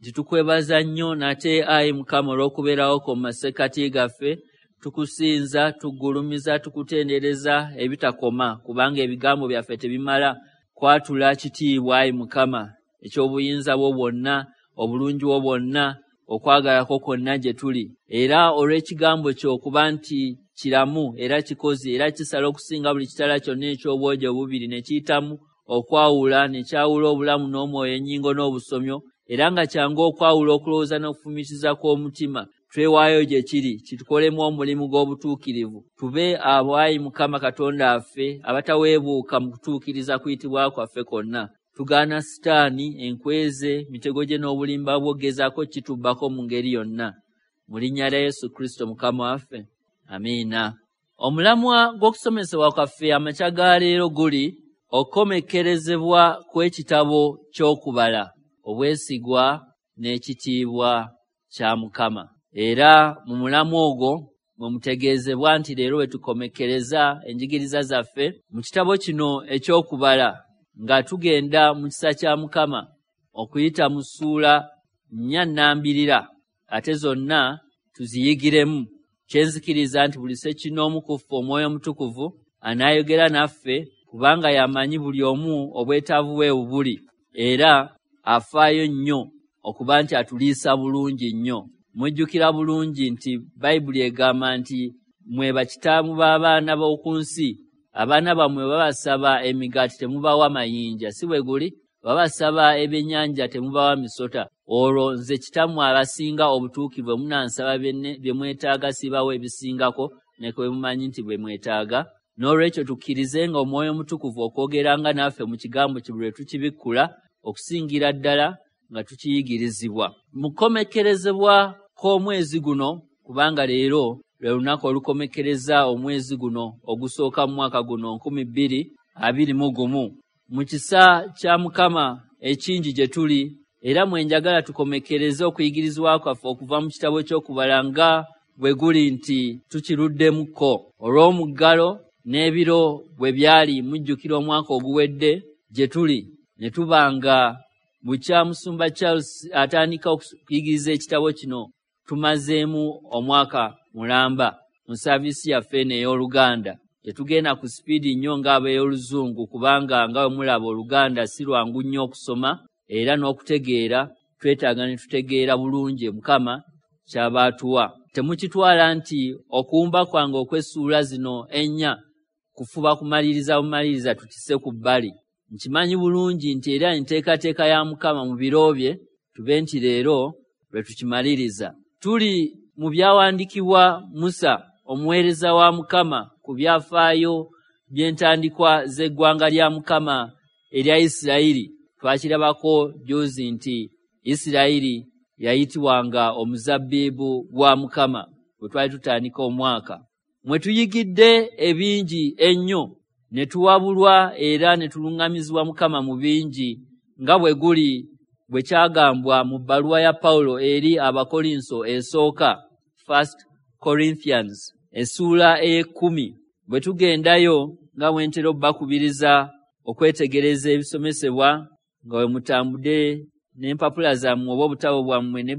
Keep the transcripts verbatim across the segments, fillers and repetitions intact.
Nti tukwebaza nnyo nate ayi Mukama olw'okubeerawo kwo mu masekkati gaffe. Tukusinza, tugulumiza, tukutendereza ebitakoma, kubanga ebigambo byaffe tebimala kwatula kitiibwa ayi Mukama eky'obuyinza bwo bwonna, obulungi bwo bwonna, okwagala kwo kwonna gye tuli. Era olw'ekigambo kyo okuba nti kiramu era kikozi era kisala okusinga buli kitala kyonna eky'obwogi obubiri, ne kiyitamu okwawula, ne kyawula obulamu n'omwoyo, ennyingo n'obusomyo, era nga kyangu okwawula okulowooza n'okufumiitiriza kw'omutima. Twewaayo gye kiri, kitukolemu omulimu gw'obutuukirivu. Tube abo ayi Mukama Katonda waffe abataweebuuka mu kutuukiriza kuyitibwa kwaffe kwonna. Tugaana Sitaani, enkweze, mitego gye n'obulimba bwo gezaako kitubbako mu ngeri yonna. Mu linnya lya Yesu Kristo Mukama waffe, amiina. Omulamwa gw'okusomesebwa kwaffe amakya ga leero guli okukomekkerezebwa kw'ekitabo ky'okubala, obwesigwa n'ekitiibwa kya Mukama. Era mu mulamwa ogwo mwe mutegeezebwa nti leero we tukomekkereza enjigiriza zaffe mu kitabo kino eky'okubala, nga tugenda mu kisa kya Mukama okuyita mu ssuula nnya nnambirira, ate zonna tuziyigiremu. Kyenzikiriza nti buli ssekinnoomu ku ffe Omwoyo Omutukuvu anaayogera naffe, kubanga y'amanyi buli omu obwetaavu bwe buli, era afaayo nnyo okuba nti atuliisa bulungi nnyo. Mujjukira bulungi nti Bayibuli egamba nti mwe bakitaamu b'abaana b'oku nsi, abaana bammwe babasaba emigaati temubawa mayinja, si bwe guli? Babasaba ebyennyanja temubawa misota. Olwo nze kitammwe abasinga obutuukirivu munansaba bye mwetaaga sibawa ebisingako, ne bwe mumanyi nti bwe mwetaaga. N'olwekyo tukkirizenga Omwoyo Omutukuvu okwogeranga naffe mu kigambo kye buli lwe tukibikkula, okusingira ddala nga tukiyigirizibwa. Mu kukomekkerezebwa kw'omwezi guno, kubanga leero lwe lunaku olukomekkereza omwezi guno ogusooka mu mwaka guno nkumi bbiri abiri mu gumu, mu kisa kya Mukama ekingi gye tuli, era mwe njagala tukomekkereze okuyigirizibwa kwaffe okuva mu kitabo ky'okubala nga bwe guli nti tukiruddemukko olw'omuggalo n'ebiro bwe byali. Mujjukira omwaka oguwedde gye tuli ne tubanga bukya Musumba Charles atandika okuyigiriza ekitabo kino, tumazeemu omwaka mulamba mu saaviisi yaffe eno ey'Oluganda. Tetugenda ku sipiidi nnyo ng'ab'ey'Oluzungu, kubanga nga bwe mulaba Oluganda si lwangu nnyo okusoma era n'okutegeera, twetaaga ne tutegeera bulungi Mukama ky'aba atuwa. Temukitwala nti okuwumba kwange okw'essuula zino ennya kufuba kumaliriza bumaliriza tukisse ku bbali. Nkimanyi bulungi nti era enteekateeka ya Mukama mu biro bye tube nti leero lwe tukimaliriza. Tuli mu byawandiikibwa Musa omuweereza wa Mukama ku byafaayo by'entandikwa z'eggwanga lya Mukama erya Isirayiri. Twakirabako jjuuzi nti Isirayiri yayitibwanga omuzabbibu gwa Mukama bwe twali tutandika omwaka. Mwe tuyigidde ebingi ennyo, ne tuwabulwa era ne tuluŋŋamizibwa Mukama mu bingi, nga bwe guli bwe kyagambwa mu bbaluwa ya Pawulo eri Abakolinso esooka, First Corinthians, essuula ey'ekkumi. Bwe tugendayo nga bwe ntera obbakubiriza okwetegereza ebisomesebwa, nga bwe mutambudde n'empapula zammwe oba obutabo bwammwe ne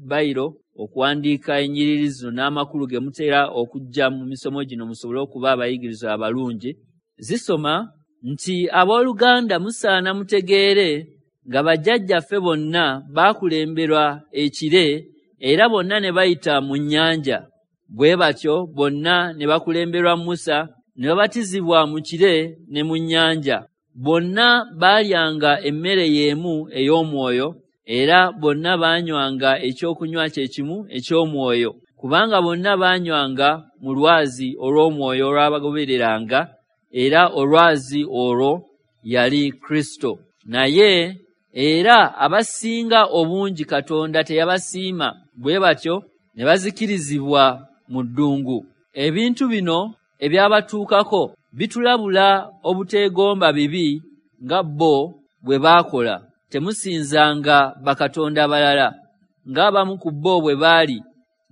bayiro okuwandiika ennyiriri zino n'amakulu ge mutera okujja mu misomo gino musobole okuba abayigirizwa abalungi. Zisoma nti abooluganda musaana mutegeere nga bajjajjaffe bonna baakulemberwa ekire, era bonna ne bayita mu nnyanja. Bwe batyo bonna ne bakulemberwa Musa, ne babatizibwa mu kire ne mu nnyanja. Bonna baalyanga emmere y'emu ey'omwoyo, era bonna baanywanga ekyokunywa kye kimu eky'omwoyo, kubanga bonna baanywanga mu lwazi olw'omwoyo olwabagobereranga, era olwazi olwo yali Kristo. Naye era abasinga obungi Katonda teyabasiima, bwe batyo ne bazikirizibwa mu ddungu. Ebintu bino ebyabatuukako bitulabula obuteegomba bibi nga bo bwe baakola. Temusinzanga bakatonda balala ng'abamu ku bo bwe baali,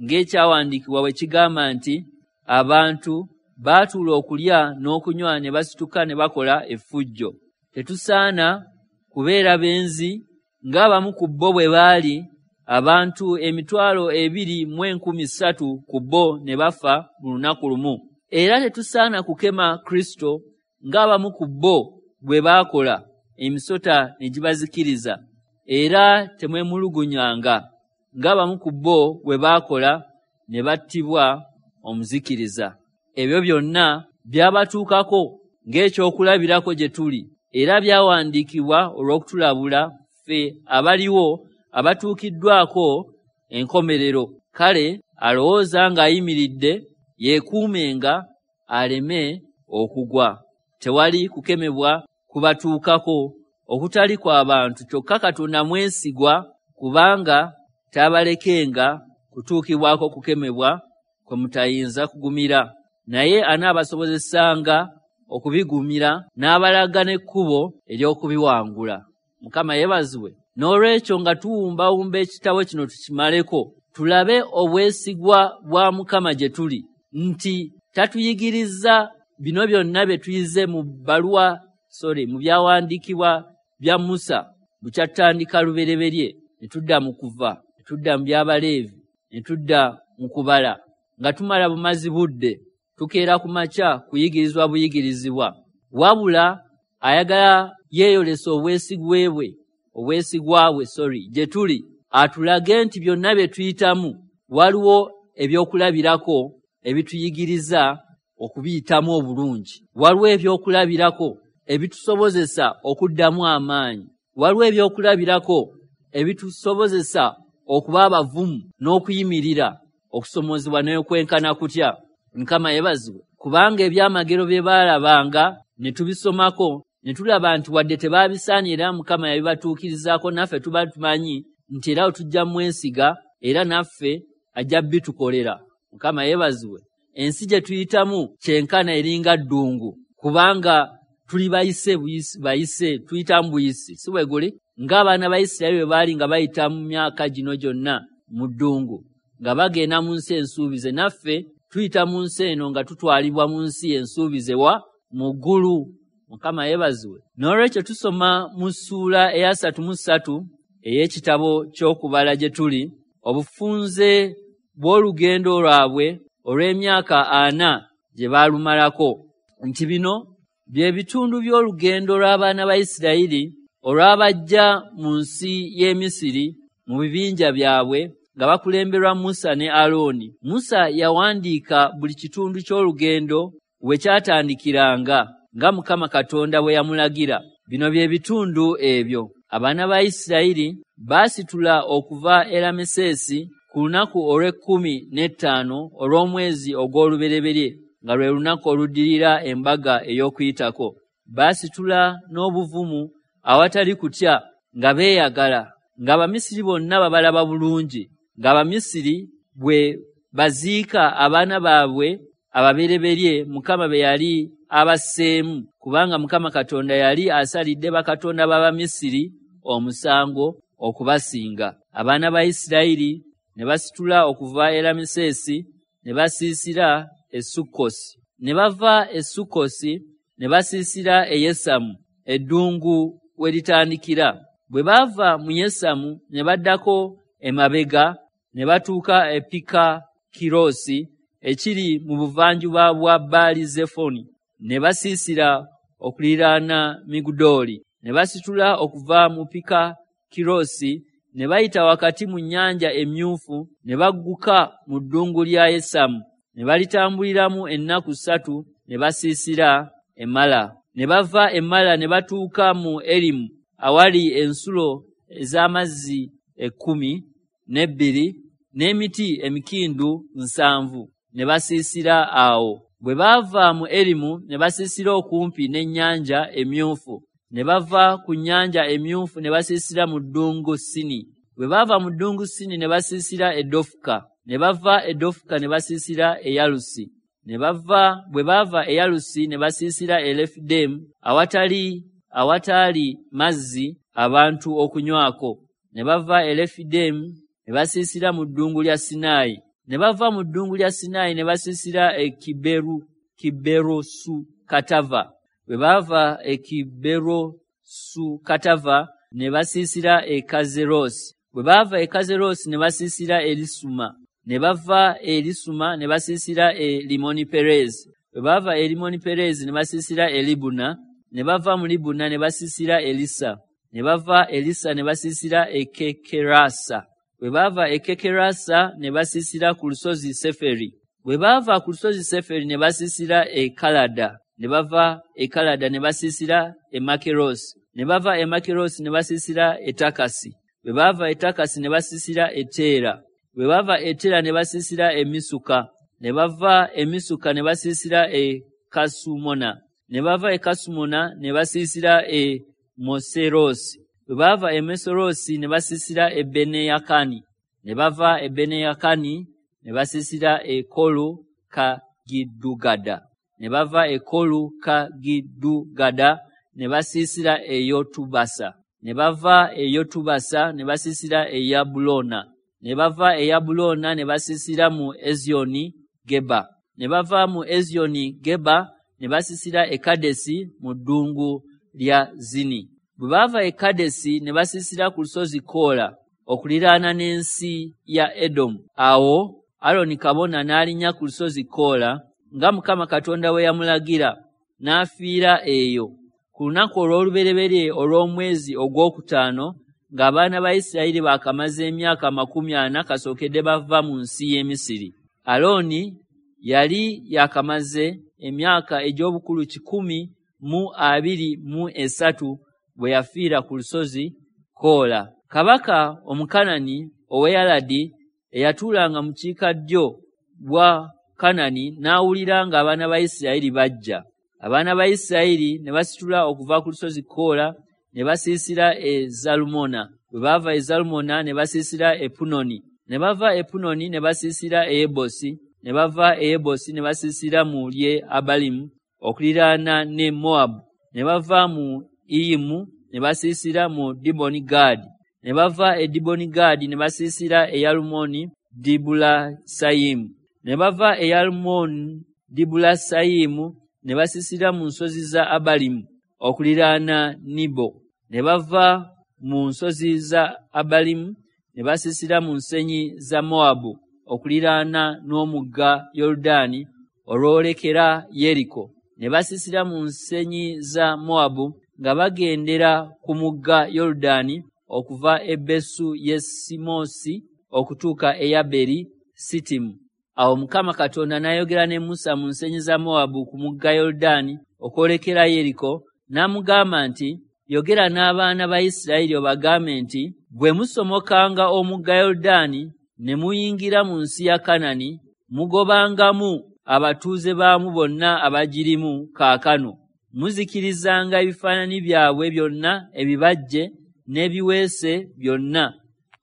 ng'ekyawandiikibwa bwe kigamba nti abantu baatuula okulya n'okunywa ne basituka ne bakola effujjo. Tetusaana kubeera benzi ng'abamu ku bo bwe baali, abantu emitwalo ebiri mu enkumi ssatu ku bo ne bafa mu lunaku lumu. Era tetusaana kukema Kristo ng'abamu ku bo bwe baakola, emisota ne gibazikiriza. Era temwemulugunyanga ng'abamu ku bo bwe baakola, ne battibwa omuzikiriza. Ebyo byonna byabatuukako ng'ekyokulabirako gye tuli, era byawandiikibwa olw'okutulabula ffe abaliwo abatuukiddwako enkomerero. Kale alowooza ng'ayimiridde yeekuumenga aleme okugwa. Tewali kukemebwa kubatuukako okutali kw'abantu, kyokka Katonda mwesigwa, kubanga taabalekenga kutuukibwako kukemebwa kwe mutayinza kugumira, naye anaabasobozesanga okubigumira n'abalaga n'ekkubo ery'okubiwangula. Mukama yeebazibwe. N'olwekyo nga tuwumbawumba ekitabo kino tukimaleko, tulabe obwesigwa bwa Mukama gye tuli, nti tatuyigiriza bino byonna bye tuyize mu bbaluwa, sorry, mu byawandiikibwa bya Musa bukyatandika lubereberye, ne tudda mu Kuva, ne tudda mu Byabaleevi, ne tudda mu Kubala, nga tumala bumazi budde, tukeera ku makya kuyigirizwa buyigirizibwa. Wabula ayagala yeeyolesa obwesigwe bwe, obwesigwa bwe, sorry, gye tuli, atulage nti byonna bye tuyitamu waliwo ebyokulabirako ebituyigiriza okubiyitamu obulungi. Waliwo ebyokulabirako ebitusobozesa okuddamu amaanyi. Waliwo ebyokulabirako ebitusobozesa okuba abavumu n'okuyimirira okusomozebwa n'okwenkana kutya. Mukama yeebazibwe, kubanga ebyamagero bye baalabanga ne tubisomako ne tulaba nti wadde tebaabisaanira, Mukama yabibatuukirizaako, naffe tuba tumanyi nti era tujja mwesiga, era naffe ajja bitukolera. Mukama yeebazibwe. Ensi gye tuyitamu kyenkana eringa ddungu, kubanga tuli bayise bayise, tuyitamu buyisi, si bwe guli? Ng'abaana ba Isirayiri bwe baali nga bayita mu myaka gino gyonna mu ddungu, nga bagenda mu nsi ensuubize, naffe tuyita mu nsi eno nga tutwalibwa mu nsi ensuubize wa mu ggulu. Mukama yeebazibwe. N'olwekyo tusoma mu ssuula eyasatu mu ssatu ey'ekitabo ky'Okubala gye tuli, obufunze bw'olugendo lwabwe olw'emyaka ana gye baalumalako, nti bino bye bitundu by'olugendo lw'abaana ba Isirayiri olwabajja mu nsi y'e Misiri mu bibinja byabwe nga bakulemberwa Musa ne Alooni. Musa yawandiika buli kitundu ky'olugendo we kyatandikiranga nga Mukama Katonda bwe yamulagira. Bino bye bitundu ebyo. Abaana ba Isirayiri baasitula okuva e Ramesesi ku lunaku olw'ekkumi n'ettaano olw'omwezi ogw'olubereberye, nga lwe lunaku oluddirira embaga ey'Okuyitako. Baasitula n'obuvumu awatali kutya, nga beeyagala, ng'Abamisiri bonna babalaba bulungi, ng'Abamisiri bwe baziika abaana baabwe ababereberye Mukama be yali abasseemu, kubanga Mukama Katonda yali asalidde bakatonda b'Abamisiri omusango okubasinga. Abaana ba Isirayiri ne basitula okuva e Ramesesi ne basiisira e Sukkosi. Ne bava e Sukkosi ne basiisira e Yesamu, eddungu we litandikira. Bwe baava mu Yesamu ne baddako emabega ne batuuka e Pikakirosi ekiri mu buvanjuba bwa Baali Zefoni, ne basiisira okuliraana Migudoli. Ne basitula okuva mu Pikakirosi ne bayita wakati mu nnyanja Emyufu, ne bagguka mu ddungu lya Yesamu, ne balitambuliramu ennaku ssatu, ne basiisira e Mala. Ne bava e Mala ne batuuka mu Erimu awali ensulo ez'amazzi ekkumi n'ebbiri n'emiti emikindu nsanvu, ne basiisira awo. Bwe baava mu Erimu ne basiisira okumpi n'ennyanja Emyufu. Ne bava ku nnyanja Emyufu ne basiisira mu ddungu Sini. Bwe baava mu ddungu Sini ne basiisira e Dofuka. Ne bava e Dofuka ne basiisira e Yalusi. Ne bava bwe baava e Yalusi ne basiisira e Lefidemu awatali awataali mazzi abantu okunywako. Ne bava e Lefidemu ne basiisira mu ddungu lya Sinaayi. Ne bava mu ddungu lya Sinaayi ne basiisira e Kiberu Kiberosu Katava. Bwe baava e Kiberosu Katava ne basiisira e Kazerosi. Bwe baava e Kazerosi ne basiisira e Lisuma. Ne bava e Lisuma ne basiisira e Limoni Perezi. Bwe baava e Limoni Perezi ne basiisira e Libuna. Ne bava mu Libuna ne basiisira e Lisa. Ne bava e Lisa ne basiisira e Kekerasa. Bwe baava e Kekerasa ne basiisira ku lusozi Seferi. Bwe baava ku lusozi Seferi ne basiisira e Kalada. Ne bava e Kalada ne basiisira e Makerosi. Ne bava e Makerosi ne basiisira e Takasi. Bwe baava e Takasi ne basiisira e Teera. Bwe bava e Teera ne basiisira e Misuka. Ne bava e Misuka ne basiisira e Kasumona. Ne bava e Kasumona ne basiisira e Moserosi. Bwe bava e Moserosi ne basiisira e Beneyakani. Ne bava e Beneyakani ne basiisira e Kolu Kagidugada. Ne bava e Kolu Kagidugada ne basiisira e Yotubasa. Ne bava e Yotubasa ne basiisira e Yabulona. Ne bava e Yabulona ne basiisira mu Ezioni Geba. Ne bava mu Ezioni Geba ne basiisira e Kadesi mu ddungu lya Zini. Bwe baava e Kadesi ne basiisira ku lusozi Koola okuliraana n'ensi ya Edomu. Awo Aroni kabona n'alinnya ku lusozi Koola nga Mukama Katonda bwe yamulagira, n'afiira eyo. Ku lunaku olw'olubereberye olw'omwezi ogwokutaano ng'abaana ba Isirayiri baakamaze emyaka amakumi ana kasookedde bava mu nsi y'e Misiri. Alooni yali yakamaze emyaka egy'obukulu kikumi mu abiri mu esatu bwe yafiira ku lusozi Koola. Kabaka Omukanani ow'e Aladi eyatuulanga mu kiikaddyo bwa Kanani n'awulira ng'abaana ba Isirayiri bajja. Abaana ba Isirayiri ne basitula okuva ku lusozi Koola ne basiisira e Zalumona. Bwe baava e Zalumona ne basiisira e Punoni. Ne bava e Punoni ne basiisira e Yebosi. Ne bava e Yebosi ne basiisira mu lye Abalimu okuliraana ne Moabu. Ne bava mu Iyimu ne basiisira mu Diboni Gaadi. Ne bava e Diboni Gaadi ne basiisira e Yalumoni Dibulasayimu. Ne bava e Yalumoni Dibulasayimu ne basiisira mu nsozi za Abalimu okuliraana Nibo. Ne bava mu nsozi za Abalimu ne basiisira mu nsenyi za Moabu okuliraana n'omugga Yoludaani olwolekera Yeriko. Ne basiisira mu nsenyi za Moabu nga bagendera ku mugga Yoludaani okuva e Besu Yesimosi okutuuka e Yaberi Sitimu. Awo Mukama Katonda n'ayogera ne Musa mu nsenyi za Moabu ku mugga Yoludaani okwolekera Yeriko, n'amugamba nti, yogera n'abaana ba Isirayiri obagambe nti, bwe musomokanga omugga Yoludaani ne muyingira mu nsi ya Kanani, mugobangamu abatuuze baamu bonna abagirimu kaakano. Muzikirizanga ebifaananyi byabwe byonna ebibajje n'ebiweese byonna,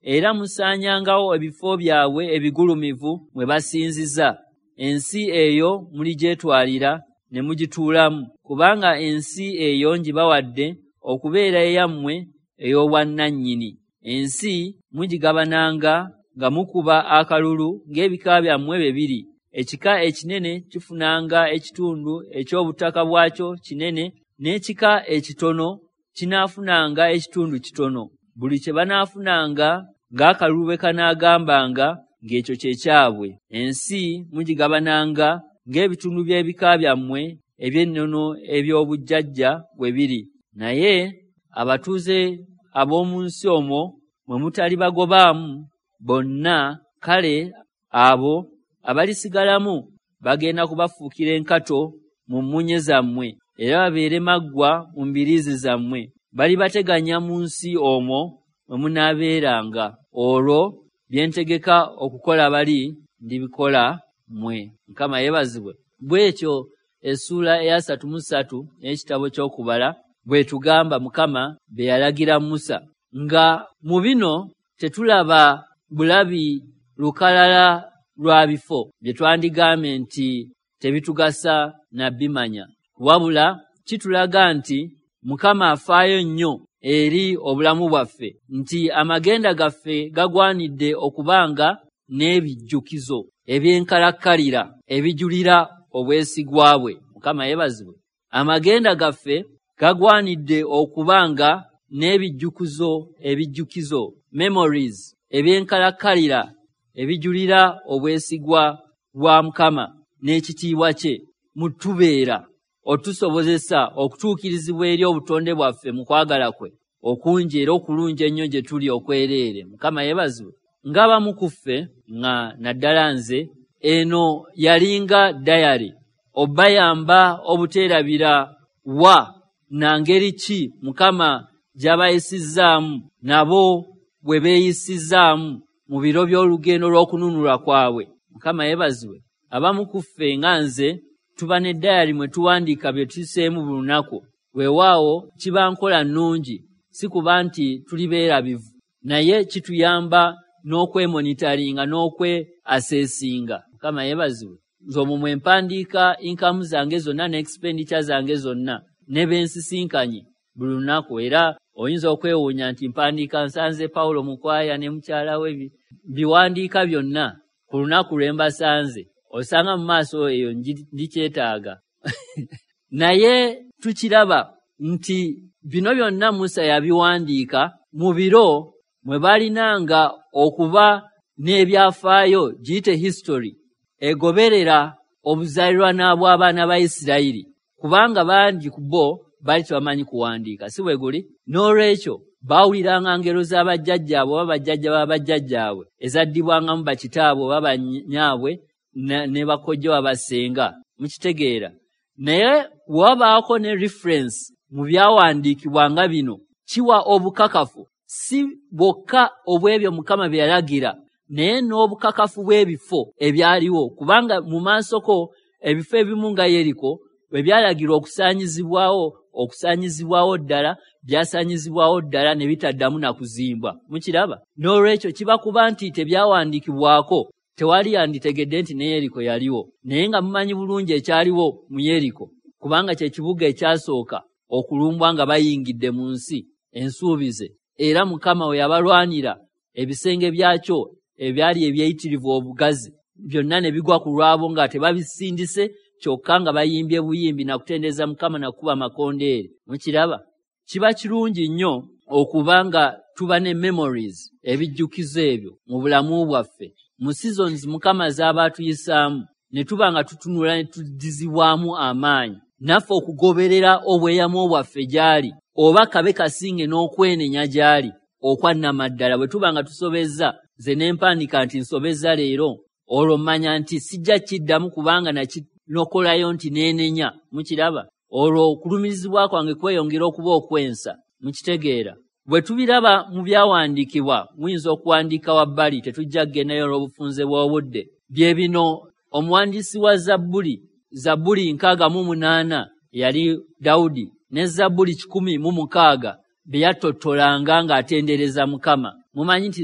era musaanyangawo ebifo byabwe ebigulumivu mwe basinziza. Ensi eyo muligyetwalira ne mugituulamu, kubanga ensi eyo ngibawadde okubeera eyammwe ey'obwannannyini. Ensi mugigabananga nga mukuba akalulu ng'ebika byammwe bwe biri. Ekika ekinene kifunanga ekitundu eky'obutaka bwakyo kinene, n'ekika ekitono kinaafunanga ekitundu kitono. Buli kye banaafunanga ng'akalulu bwe kanaagambanga ng'ekyo kye kyabwe. Ensi mugigabananga ng'ebitundu by'ebika byammwe eby'ennono eby'obujjajja bwe biri. Naye abatuuze ab'omu nsi omwo mwe mutali bagobaamu bonna, kale abo abalisigalamu bagenda kubafuukira enkato mu mmunye zammwe, era babeere maggwa mu mbiriizi zammwe. Balibateganya mu nsi omwo mwe munaabeeranga. Olwo bye ntegeka okukola bali ndibikola mmwe. Mukama yeebazibwe. Bw'etyo essuula eya ssatu mu ssatu ey'ekitabo ky'Okubala bw'etugamba Mukama bye yalagira Musa. Nga mu bino tetulaba bulabi lukalala lwa bifo bye twandigambye nti tebitugasa na bimanya, wabula kitulaga nti Mukama afaayo nnyo eri obulamu bwaffe, nti amagenda gaffe gagwanidde okubanga n'ebijjukizo ebyenkalakkalira ebijulira obwesigwa bwe. Mukama yeebazibwe. Amagenda gaffe gagwanidde okubanga n'ebijjukizo ebijjukizo memories ebyenkalakkalira ebijulira obwesigwa bwa Mukama n'ekitiibwa kye mutubeera otusobozesa okutuukirizibwa eri obutonde bwaffe mu kwagala kwe okungi era okulungi ennyo gye tuli okwereere. Mukama yeebazibwe. Ng'abamu ku ffe nga naddala nze, eno yalinga dayari obayamba obuteerabira wa na ngeri ki Mukama gy'abayisizzaamu nabo bwe beeyisizzaamu mu biro by'olugendo lw'okununulwa kwabwe. Mukama yeebazibwe. Abamu ku ffe nga nze tuba ne dayari mwe tuwandiika bye tuyiseemu buli lunaku. Weewaawo kiba nkola nnungi, si kuba nti tuli beerabivu, naye kituyamba n'okwemonitaringa n'okwe-assessinga. Mukama yeebazibwe. Nze omwo mwe mpandiika inkamu zange zonna ne expenditure zange zonna ne bensisinkanye buli lunaku. Era oyinza okwewuunya nti mpandiika nsanze Pawulo Mukwaya ne mukyala we, biwandiika byonna ku lunaku lwe mbasanze. Osanga mu maaso eyo ndikyetaaga. Naye tukiraba nti bino byonna Musa yabiwandiika mu biro mwe balinanga okuba n'ebyafaayo, giyite history, egoberera obuzaalirwana bw'abaana ba Isirayiri, kubanga bangi ku bo baali tebamanyi kuwandiika, si bwe guli? N'olwekyo baawuliranga ngero z'abajjajjaabwe oba bajjajja b'abajjajjaabwe ezaddibwangamu bakitaabwe oba bannyaabwe ne bakojja oba bassenga. Mukitegeera? Naye wabaako ne reference mu byawandiikibwa nga bino, kiwa obukakafu si bwokka obw'ebyo Mukama bye yalagira, naye n'obukakafu bw'ebifo ebyaliwo, kubanga mu maasoko ebifo ebimu nga Yeriko bwe byalagirwa okusaanyizibwawo, okusaanyizibwawo ddala, byasaanyizibwawo ddala ne bitaddamu na kuzimbwa. Mukiraba? N'olwekyo kiba kuba nti tebyawandiikibwako, tewali yanditegedde nti ne Yeriko yaliwo. Naye nga mumanyi bulungi ekyaliwo mu Yeriko, kubanga kye kibuga ekyasooka okulumbwa nga bayingidde mu nsi ensuubize. Era Mukama we yabalwanira ebisenge byakyo ebyali ebyeyitirivu obugazi byonna ne bigwa ku lwabo nga tebabisindise, kyokka nga bayimbye buyimbi na kutendereza Mukama na kukuba makondeere. Mukiraba? Kiba kirungi nnyo okuba nga tuba ne memories, ebijjukizo ebyo mu bulamu bwaffe. Mu seasons Mukama z'aba atuyisaamu ne tuba nga tutunula ne tuddizibwamu amaanyi naffe okugoberera obweyamo bwaffe gy'ali, oba kabe kasinge n'okwenenya gy'ali okwannamaddala. Bwe tuba nga tusobezza, nze ne mpandiika nti nsobezza leero, olwo mmanya nti sijja kiddamu kubanga nakinokolayo nti neenenya. Mukiraba? Olwo okulumirizibwa kwange kweyongera okuba okwensa. Mukitegeera? Bwe tubiraba mu byawandiikibwa, muyinza okuwandiika wabbali, tetujja kugendayo olw'obufunze bw'obudde. Bye bino omuwandiisi wa Zabbuli, Zabbuli nkaaga mu munaana yali Dawudi, ne Zabbuli kikumi mu mukaaga bye yattottolanga ng'atendereza Mukama. Mumanyi nti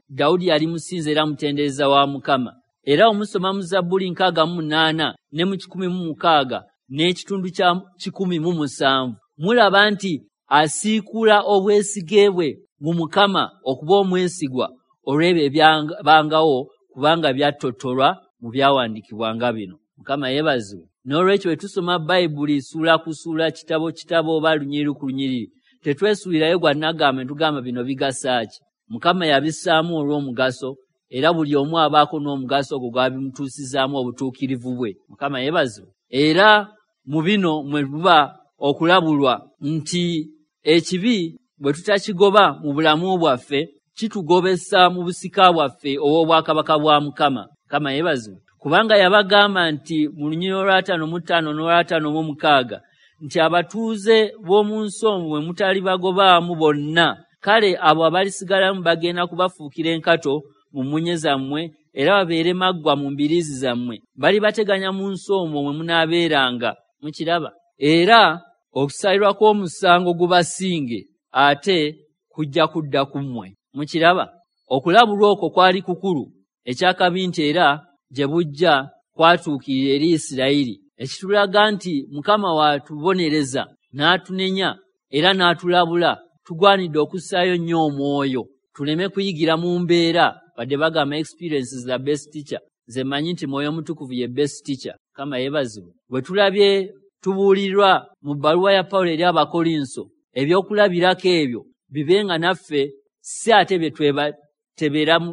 Dawudi yali musinza era mutendereza wa Mukama. Era omusoma mu Zabbuli nkaaga mu munaana ne mu kikumi mu mukaaga n'ekitundu kya kikumi mu musanvu, mulaba nti asiikula obwesige bwe mu Mukama okuba omwesigwa olw'ebyo ebyabangawo, kubanga byattotolwa mu byawandiikibwa nga bino. Mukama yeebazibwe. N'olwekyo bwe tusoma Bayibuli ssuula ku ssuula, kitabo kitabo oba lunyiriri ku lunyiriri, tetwesuulirayo gwa nnagamba ne tugamba bino bigasa ki. Mukama yabissaamu olw'omugaso, era buli omu abaako n'omugaso ogwo gw'abimutuusizaamu obutuukirivu bwe. Mukama yeebazibwe. Era mu bino mwe buba okulabulwa nti ekibi bwe tutakigoba mu bulamu bwaffe kitugobesa mu busika bwaffe obw'obwakabaka bwa Mukama. Mukama yeebazibwe. Kubanga yabagamba nti mu lunyiriri olw'ataano mu ttaano n'olw'ataano mu mukaaga nti abatuuze b'omu nsi omwo bwe mutali bagobaamu bonna, kale abo abalisigalamu bagenda kubafuukira enkato mu mmunye zammwe, era babeere maggwa mu mbiriizi zammwe. Balibateganya mu nsi omwo mwe munaabeeranga. Mukiraba? Era okusalirwa kw'omusango gubasinge, ate kujja kudda ku mmwe. Mukiraba? Okulabulwa okwo kwali kukulu. Ekyakabi nti era gye bujja kwatuukirira eri Isirayiri, ekitulaga nti Mukama w'atubonereza n'atunenya era n'atulabula, tugwanidde okussaayo nnyo omwoyo tuleme kuyigira mu mbeera. Wadde bagamba experience is the best teacher, nze mmanyi nti Mwoyo Mutukuvu ye best teacher. Mukama yeebazibwe. Bwe tulabye tubuulirwa mu bbaluwa ya Pawulo eri Abakolinso ebyokulabirako ebyo bibe nga naffe si ate bye tweteberamu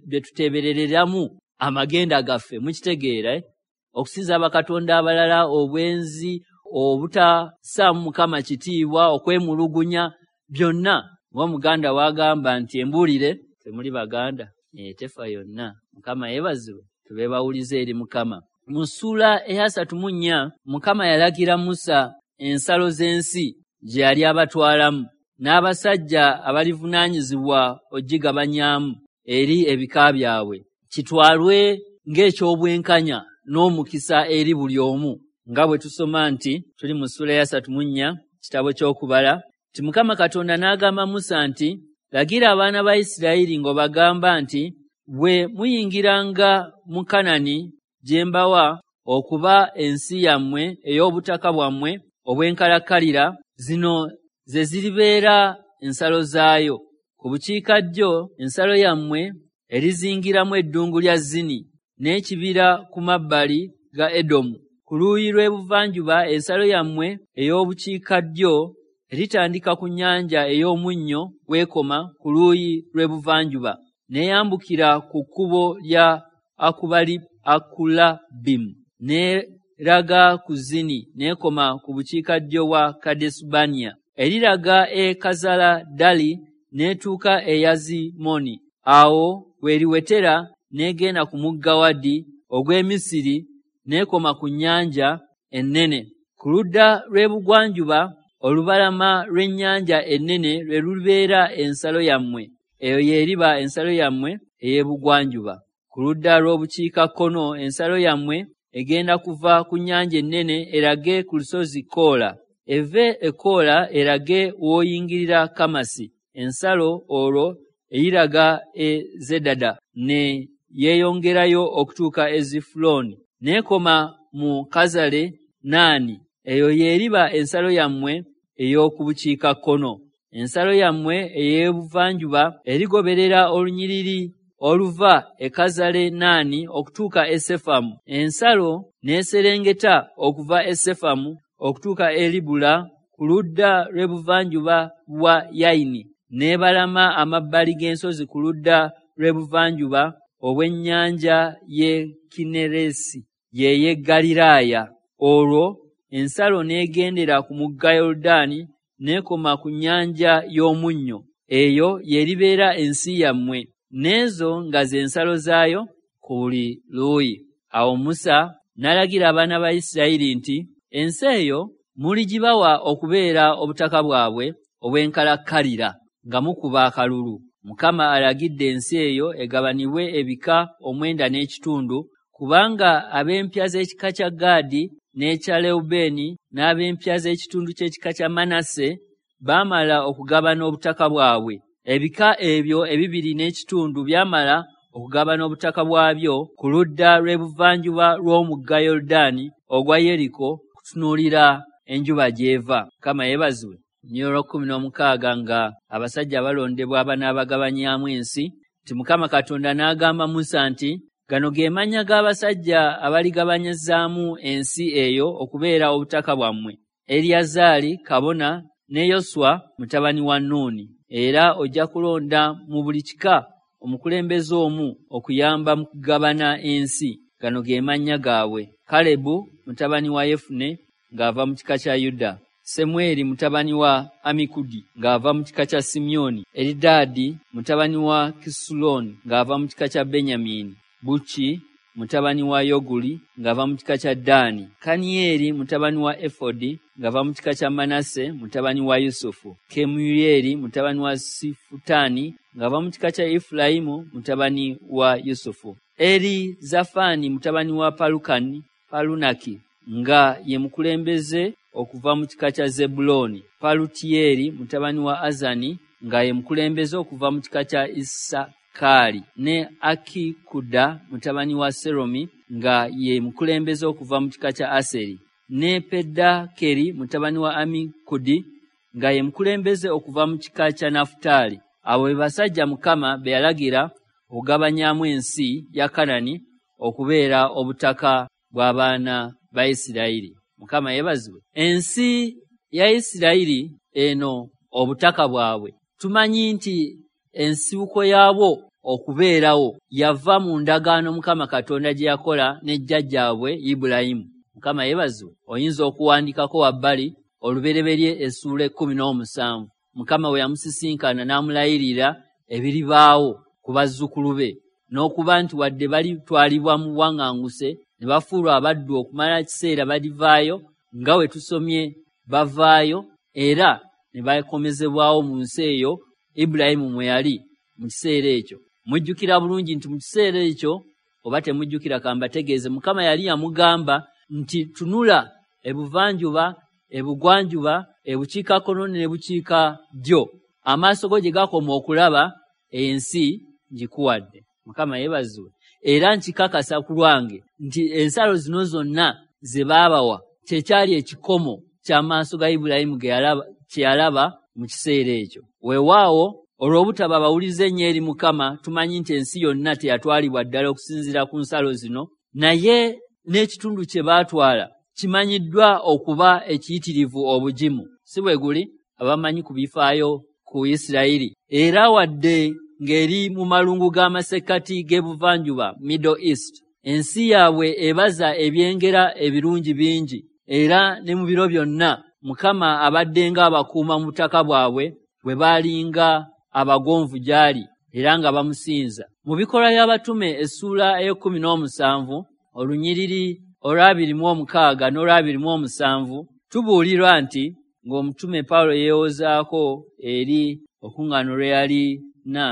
bye tuteberereramu amagenda gaffe. Mukitegeera eh? Okusinza bakatonda abalala, obwenzi, obutasaamu Mukama kitiibwa, okwemulugunya, byonna. Ng'Omuganda wagamba nti embuulire temuli Baganda, tefa yonna. Mukama yeebazibwe, tube bawulize eri Mukama. Mu ssuula eyasatu mu nnya Mukama yalagira Musa ensalo z'ensi gye yali abatwalamu n'abasajja abalivunaanyizibwa ogigabanyaamu eri ebika byabwe, kitwalwe ng'ekyobwenkanya n'omukisa eri buli omu. Nga bwe tusoma nti tuli mu ssuula eyasatu mu nnya kitabo ky'Okubala, nti Mukama Katonda n'agamba Musa nti, lagira abaana ba Isirayiri ng'obagamba nti, bwe muyingiranga mu Kanani gye mbawa okuba ensi yammwe ey'obutaka bwammwe obw'enkalakkalira, zino ze ziribeera ensalo zaayo. Ku bukiikaddyo ensalo yammwe erizingiramu eddungu lya Zini n'ekibira ku mabbali ga Edomu. Ku luuyi lw'ebuvanjuba ensalo yammwe ey'obukiikaddyo eritandika ku nnyanja ey'omunnyo weekoma ku luuyi lw'ebuvanjuba, n'eyambukira ku kkubo lya Akubali Akulabimu, n'eraga ku Zini n'ekoma ku bukiikaddyo bwa Kadesubaniya. Eriraga e Kazaladali n'etuuka e Yazimoni. Awo weriwetera n'egenda ku mugga Wadi ogw'e Misiri n'ekoma ku nnyanja ennene. Ku ludda lw'ebugwanjuba olubalama lw'ennyanja ennene lwe lubeera ensalo yammwe. Eyo y'eriba ensalo yammwe ey'ebugwanjuba. Ku ludda lw'obukiikakkono ensalo yammwe egenda kuva ku nnyanja ennene erage ku lusozi Koola. Eve e Koola erage w'oyingirira Kamasi. Ensalo olwo eyiraga e Zedada ne yeeyongerayo okutuuka e Zifulooni, n'ekoma mu Kazale Naani. Eyo y'eriba ensalo yammwe ey'oku bukiikakkono. Ensalo yammwe ey'ebuvanjuba erigoberera olunyiriri oluva e Kazale Naani okutuuka e Sefamu. Ensalo n'eserengeta okuva e Sefamu okutuuka e Libula ku ludda lw'ebuvanjuba bwa Yayini, n'ebalama amabbali g'ensozi ku ludda lw'ebuvanjuba obw'ennyanja y'e Kinneresi, ye y'e Ggaliraaya. Olwo ensalo n'egendera ku mugga Yoludaani n'ekoma ku nnyanja y'omunnyo. Eyo y'eribeera ensi yammwe, n'ezo nga ze nsalo zaayo ku buli luuyi. Awo Musa n'alagira abaana ba Isirayiri nti, ensi eyo muligibawa okubeera obutaka bwabwe obw'enkalakkalira nga mukuba akalulu. Mukama alagidde ensi eyo egabanibwe ebika omwenda n'ekitundu, kubanga ab'empya z'ekika kya Gaadi n'ekya Lewubeeni n'ab'empya z'ekitundu ky'ekika kya Manase baamala okugabana obutaka bwabwe. Ebika ebyo ebibiri n'ekitundu byamala okugabana obutaka bwabyo ku ludda lw'ebuvanjuba lw'omugga Yoludaani ogwa Yeriko kutunuulira enjuba gy'eva. Mukama yeebazibwe. Nnyo kkumi n'omukaaga nga abasajja balondebwa abanaabagabanyaamu ensi, nti Mukama Katonda n'agamba Musa nti, gano ge mannya g'abasajja abaligabanyizaamu ensi eyo okubeera obutaka bwammwe: Eriyazaali kabona ne Yoswa mutabani wa Nuuni. Era ojja kulonda mu buli kika omukulembeze omu okuyamba mu kugabana ensi. Gano ge mannya gaabwe: Kalebu mutabani wa Yefune ng'ava mu kika kya Yuda, Semweri mutabani wa Amikudi ng'ava mu kika kya Simyoni, Eridaadi mutabani wa Kisuloni ng'ava mu kika kya Benyamini, Buki mutabani wa Yoguli ng'ava mu kika kya Ddaani, Kaniyeri mutabani wa Efodi ng'ava mu kika kya Manase mutabani wa Yusufu, Kemuyeri mutabani wa Sifutaani ng'ava mu kika kya Efulayimu mutabani wa Yusufu, Eri Zafani mutabani wa Palukani Palunaki nga ye mukulembeze okuva mu kika kya Zebbulooni, Palutiyeri mutabani wa Azani nga ye mukulembeze okuva mu kika kya Isakaali, ne Akikuda mutabani wa Seromi nga ye mukulembeze okuva mu kika kya Aseri, ne Pedakeri mutabani wa Amikudi nga ye mukulembeze okuva mu kika kya Nafutaali. Abo be basajja Mukama be yalagira okugabanyaamu ensi ya Kanani okubeera obutaka bw'abaana ba Isirayiri. Mukama yeebazibwe. Ensi ya Isirayiri eno obutaka bwabwe Tumanyi nti ensibuko yaabwo okubeerawo yava mu ndagaano Mukama Katonda gye yakola ne jjajjaabwe Ibulayimu. Mukama yeebazibwe. Oyinza okuwandikako wabbali Olubereberye essuula ekkumi n'omusanvu. Mukama bwe yamusisinkana n'amulayirira ebiribaawo ku bazzukulu be, n'okuba nti wadde balitwalibwa mu buwaŋŋanguse ne bafuulwa abaddu okumala ekiseera balivaayo, nga we tusomye bavaayo era ne bakomezebwawo mu nsi eyo Ibulayimu mwe yali mu kiseera ekyo. Mujjukira bulungi nti mu kiseera ekyo, oba temujjukira kambategeeze, Mukama yali yamugamba nti tunula ebuvanjuba, ebugwanjuba, ebukiikakkono n'ebukiikaddyo, amaaso go gye gakoma okulaba ensi ngikuwadde. Mukama yeebazibwe. Era nkikakasa ku lwange nti ensalo zino zonna ze baabawa kyekyali ekikomo ky'amaaso ga Ibulayimu kye yalaba mu kiseera ekyo. Weewaawo olw'obutaba bawulize ennyo eri Mukama, tumanyi nti ensi yonna teyatwalibwa ddala okusinziira ku nsalo zino, naye n'ekitundu kye baatwala kimanyiddwa okuba ekiyitirivu obugimu. Si bwe guli? Abamanyi ku bifaayo ku Isirayiri. Era wadde ng'eri mu malungu g'amasekkati g'ebuvanjuba, Middle East, ensi yaabwe ebaza ebyengera ebirungi bingi, era ne mu biro byonna Mukama abadde ng'abakuuma mu butaka bwabwe bwe baalinga abagonvu gy'ali era nga bamusinza. Mu Bikolwa by'Abatume essuula ey'ekkumi n'omusanvu olunyiriri olw'abiri mu omukaaga n'olw'abiri mu omusanvu tubuulirwa nti ng'omutume Pawulo yeewozaako eri olukuŋŋaano lwe yalina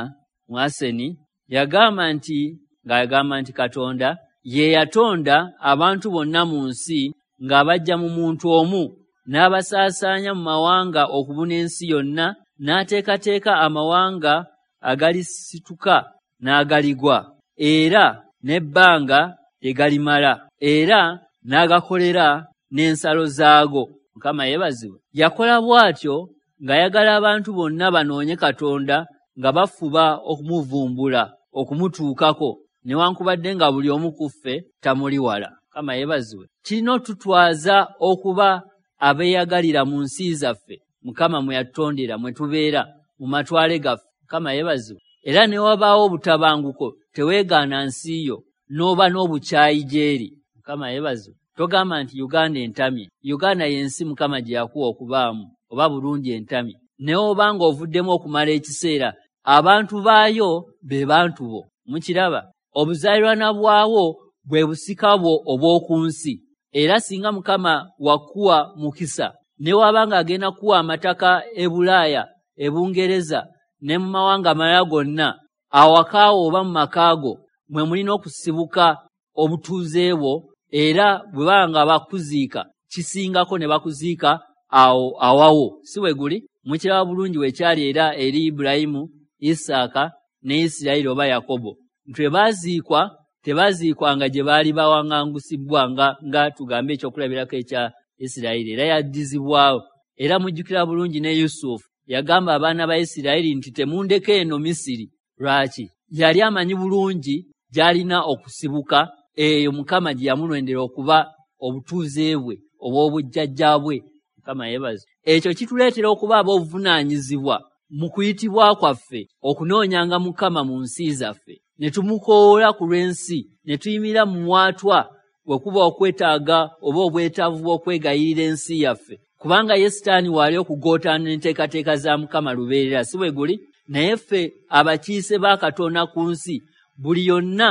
mu Aseni, yagamba nti ng'agamba nti Katonda ye yatonda abantu bonna mu nsi ng'abaggya mu muntu omu n'abasaasaanya mu mawanga okubuna ensi yonna, n'ateekateeka amawanga agalisituka n'agaligwa, era n'ebbanga lye galimala, era n'agakolera n'ensalo zaago. Mukama yeebazibwe. Yakola bw'atyo ng'ayagala abantu bonna banoonye Katonda nga bafuba okumuvumbula, okumutuukako, newankubadde nga buli omu ku ffe tamuli wala. Mukama yeebazibwe. Kirina otutwaza okuba abeeyagalira mu nsi zaffe Mukama mwe yatutondera, mwe tubeera, mu matwale gaffe. Mukama yeebazibwe. Era ne wabaawo obutabanguko, teweegaana nsi yo, n'oba n'obukyayi gy'eri. Mukama yeebazibwe. Togamba nti Uganda entamye. Uganda y'ensi Mukama gye yakuwa okubaamu, oba Burundi entamye. Ne oba ng'ovuddemu okumala ekiseera, abantu baayo be bantu bo. Mukiraba? Obuzaalirwana bwawo bwe busika bwo obw'oku nsi. Era singa Mukama wakuwa mukisa, ne waba ng'agenda kuwa amataka e Bulaaya, e Bungereza ne mu mawanga amalala gonna, awakaawo oba mu maka go mwe mulina okusibuka obutuuze bwo, era bwe baba nga bakuziika kisingako ne bakuziika awo awawo. Si bwe guli? Mukiraba bulungi bwe kyali era eri Ibulayimu, Isaaka ne Isirayiri oba Yakobo. Nti bwe baaziikwa tebaziikwanga gye baali bawaŋŋangusibwa nga, nga tugambe ekyokulabirako ekya Isirayiri, era yaddizibwawo. Era mujjukira bulungi ne Yusufu yagamba abaana ba Isirayiri nti temundeka eno Misiri. Lwaki? Yali amanyi bulungi gy'alina okusibuka, eyo Mukama gye yamulondera okuba obutuuze bwe obw'obujjajja bwe. Mukama yeebazibwe. Ekyo kituleetera okuba ab'obuvunaanyizibwa mu kuyitibwa kwaffe okunoonyanga Mukama mu nsi zaffe, ne tumukowoola ku lw'ensi, ne tuyimirira mu mwatwa bwe kuba okwetaaga oba obwetaavu bw'okwegayirira ensi yaffe, kubanga ye Sitaani waali okugootaana enteekateeka za Mukama lubeerera. Si bwe guli? Naye ffe abakiise ba Katonda ku nsi, buli yonna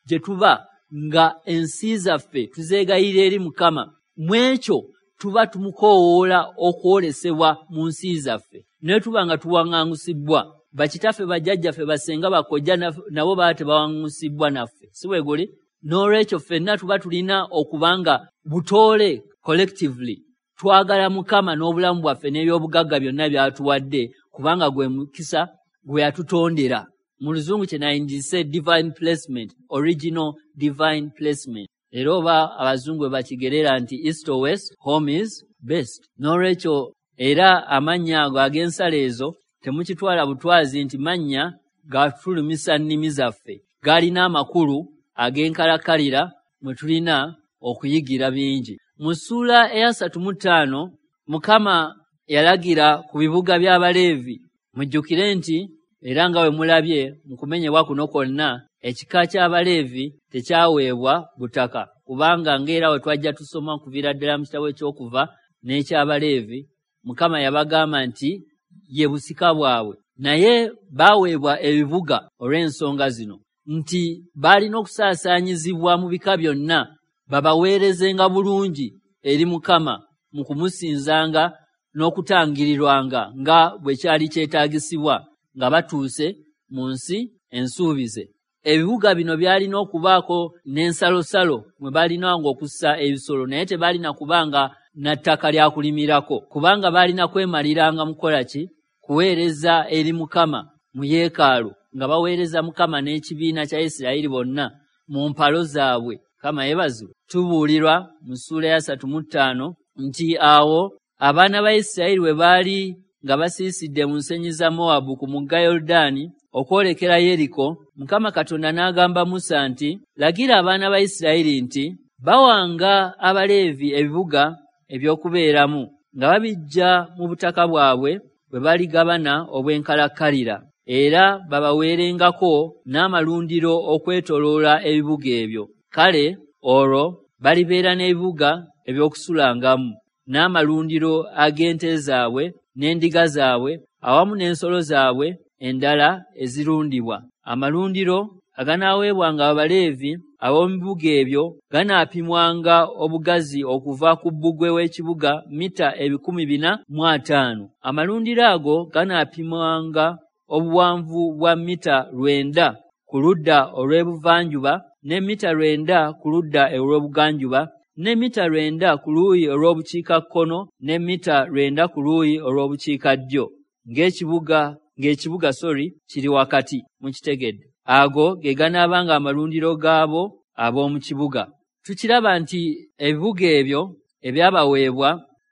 gye tuba nga ensi zaffe tuzeegayirira eri Mukama, mu ekyo tuba tumukoowoola okwolesebwa mu nsi zaffe. Naye tuba nga tuwaŋŋangusibbwa, bakitaffe, bajjajjaffe, basenga, bakojja nabo baba tebawaŋŋangusibbwa naffe. Si bwe guli? N'olwekyo ffenna tuba tulina okuba nga butoole collectively twagala Mukama n'obulamu bwaffe n'ebyobugagga byonna by'atuwadde, kubanga gwe mukisa gwe yatutondera. Mu Luzungu kye nayingise divine placement, original divine placement. Era oba abazungu bwe bakigerera nti east or west, home is best. N'olwekyo era amannya ago ag'ensalo ezo temukitwala butwazi nti mannya gatulumisa nnimi zaffe, galina amakulu ag'enkalakkalira mwe tulina okuyigira bingi. Mu ssuula eyasatu mu ttaano Mukama yalagira ku bibuga by'Abaleevi Mujjukire nti era nga bwe mulabye mu kumenyebwa kuno kwonna, ekika ky'Abaleevi tekyaweebwa butaka, kubanga ng'era we twajja tusoma okuviira ddala mu kitabo eky'Okuva n'eky'Abaleevi, Mukama yabagamba nti ye busika bwabwe. Naye baaweebwa ebibuga olw'ensonga zino, nti baalina okusaasaanyizibwa mu bika byonna, babaweerezenga bulungi eri Mukama mu kumusinzanga n'okutangirirwanga nga bwe kyali kyetaagisibwa nga batuuse mu nsi ensuubize. Ebibuga bino byalina okubaako n'ensalosalo mwe baalinanga okussa ebisolo, naye tebaalina kubanga na ttaka lya kulimirako, kubanga baalina kwemaliranga mu kukola ki? Kuweereza eri Mukama mu yeekaalu, nga baweereza Mukama n'ekibiina kya Isirayiri bonna mu mpalo zaabwe. Mukama yeebazibwe. Tubuulirwa mu ssuula ya asatu mu ttaano nti awo abaana ba Isirayiri bwe baali nga basiisidde mu nsenyi za Mowabu ku mugga Yoludaani okwolekera Yeriko, Mukama Katonda n'agamba Musa nti, lagira abaana ba Isirayiri nti bawanga Abaleevi ebibuga eby'okubeeramu nga babiggya mu butaka bwabwe bwe baligabana obw'enkalakkalira, era babaweerengako n'amalundiro okwetooloola ebibuga ebyo. Kale olwo balibeera n'ebibuga eby'okusulangamu, n'amalundiro ag'ente zaabwe n'endiga zaabwe awamu n'ensolo zaabwe endala ezirundibwa. Amalundiro aganaaweebwanga Abaleevi ab'omu bibuga ebyo ganaapimwanga obugazi okuva ku bbugwe w'ekibuga mita ebikumi bina mu ataano. Amalundiro ago ganaapimwanga obuwanvu bwa mita lwenda ku ludda olw'ebuvanjuba, ne mita lwenda ku ludda olw'obuganjuba, ne mita lwenda ku luuyi olw'obukiikakkono, ne mita lwenda ku luuyi olw'obukiikaddyo, ng'ekibuga ng'ekibuga sorry kiri wakati. Mukitegedde? Ago ge ganaabanga amalundiro gaabo ab'omu kibuga. Tukiraba nti ebibuga ebyo ebyabaweebwa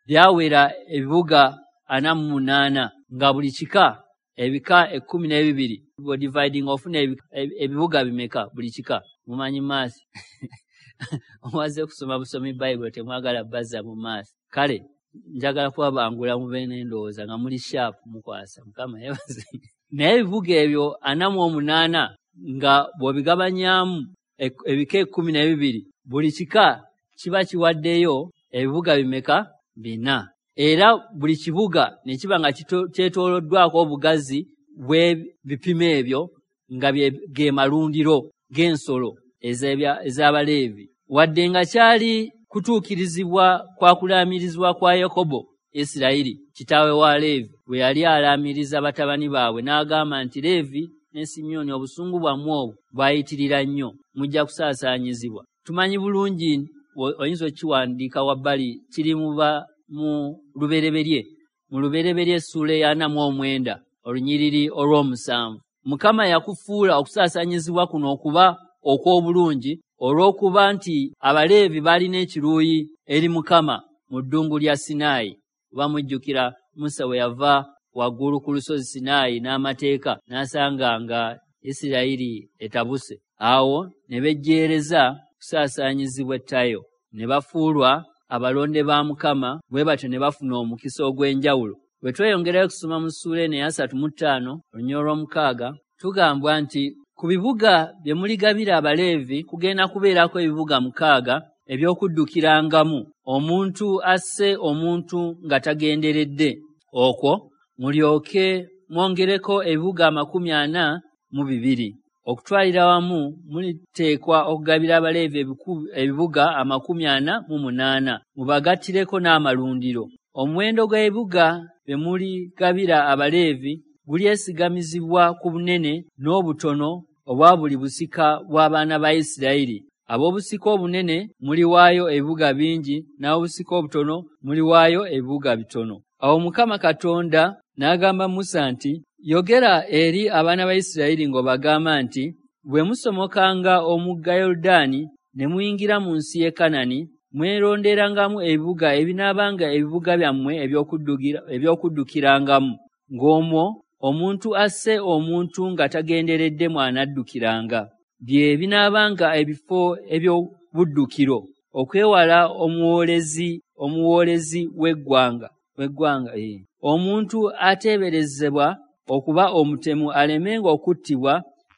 byawera ebibuga ana mu munaana, nga buli kika ebika ekkumi n'ebibiri. Bw'odividing ofuna ebibuga bimeka buli kika? Mumanyi maasi? Omaze okusoma busomi Bayibuli, temwagala bazza mu maaso. Kale njagala kubabangula mube n'endowooza nga muli sharp mukwasa. Mukama yeebaze. Naye ebibuga ebyo ana mu omunaana nga bw'obigabanyaamu ebika ekkumi n'ebibiri, buli kika kiba kiwaddeyo ebibuga bimeka? Bina. Era buli kibuga ne kiba nga kyetooloddwako obugazi bw'ebipimo ebyo nga ge malundiro g'ensolo ez'Abaleevi. Wadde nga kyali kutuukirizibwa kwa kulaamirizibwa kwa Yakobo Isirayiri kitaawe wa Leevi, bwe yali alaamiriza batabani baabwe n'agamba nti Leevi ne Simyoni obusungu bwammwe obwo bwayitirira nnyo, mujja kusaasaanyizibwa. Tumanyi bulungi, oyinza okukiwandiika wabbali, kiri muba mu Lubereberye, mu Lubereberye essuula ey'ana mu omwenda olunyiriri olw'omusanvu. Mukama yakufuula okusaasaanyizibwa kuno okuba okw'obulungi olw'okuba nti Abaleevi baalina ekiruyi eri Mukama mu ddungu lya Sinaayi. Bamujjukira Musa bwe yava waggulu ku lusozi Sinaayi n'amateeka n'asanga nga Isirayiri etabuse. Awo ne bejjeereza kusaasaanyizibwa ettayo, ne bafuulwa abalonde ba Mukama, bwe batyo ne bafuna omukisa ogw'enjawulo. Bwe tweyongerayo okusoma mu ssuula eno ey'asatu mu ttaano olunyiriri olw'omukaaga, tugambwa nti ku bibuga bye muligabira Abaleevi kugenda kubeerako ebibuga mukaaga eby'okuddukirangamu omuntu asse omuntu nga tagenderedde. Okwo mulyoke mwongereko ebibuga amakumi ana mu bibiri. Okutwalira wamu muliteekwa okugabira Abaleevi ebibuga amakumi ana mu munaana, mubagattireko n'amalundiro. Omuwendo gw'ebibuga bye muligabira Abaleevi gulyesigamizibwa ku bunene n'obutono obwa buli busika bw'abaana ba Isirayiri. Ab'obusika obunene muliwaayo ebibuga bingi, n'ab'obusika obutono muliwaayo ebibuga bitono. Awo Mukama Katonda n'agamba Musa nti, yogera eri abaana ba Isirayiri ng'obagamba nti, bwe musomokanga omugga Yoludaani ne muyingira mu nsi y'e Kanani, mweronderangamu ebibuga ebinaabanga ebibuga byammwe eby'okuddukirangamu, ng'omwo omuntu asse omuntu nga tagenderedde mw'anaddukiranga. Bye binaabanga ebifo eby'obuddukiro, okwewala omuwoolezi omuwoolezi w'eggwanga w'eggwanga. Omuntu ateeberezebwa okuba omutemu alemenga okuttibwa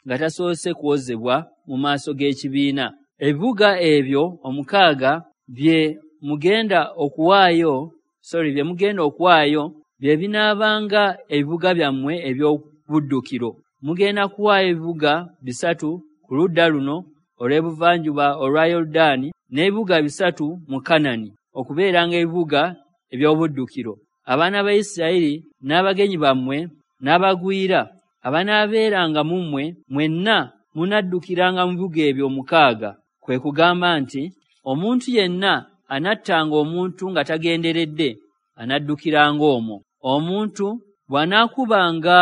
nga tasoose kuwozebwa mu maaso g'ekibiina. Ebibuga ebyo omukaaga bye mugenda okuwaayo, sorry, bye mugenda okuwaayo bye binaabanga ebibuga byammwe eby'obuddukiro. Mugenda kuwaayo ebibuga bisatu ku ludda luno olw'ebuvanjuba olwa Yoludaani n'ebibuga bisatu mu Kanani okubeeranga ebibuga eby'obuddukiro. Abaana ba Isirayiri n'abagenyi bammwe n'abagwira abanaabeeranga mu mmwe mwenna munaddukiranga mu bibuga ebyo omukaaga. Kwe kugamba nti omuntu yenna anattanga omuntu nga tagenderedde anaddukiranga omwo. Omuntu bw'anaakubanga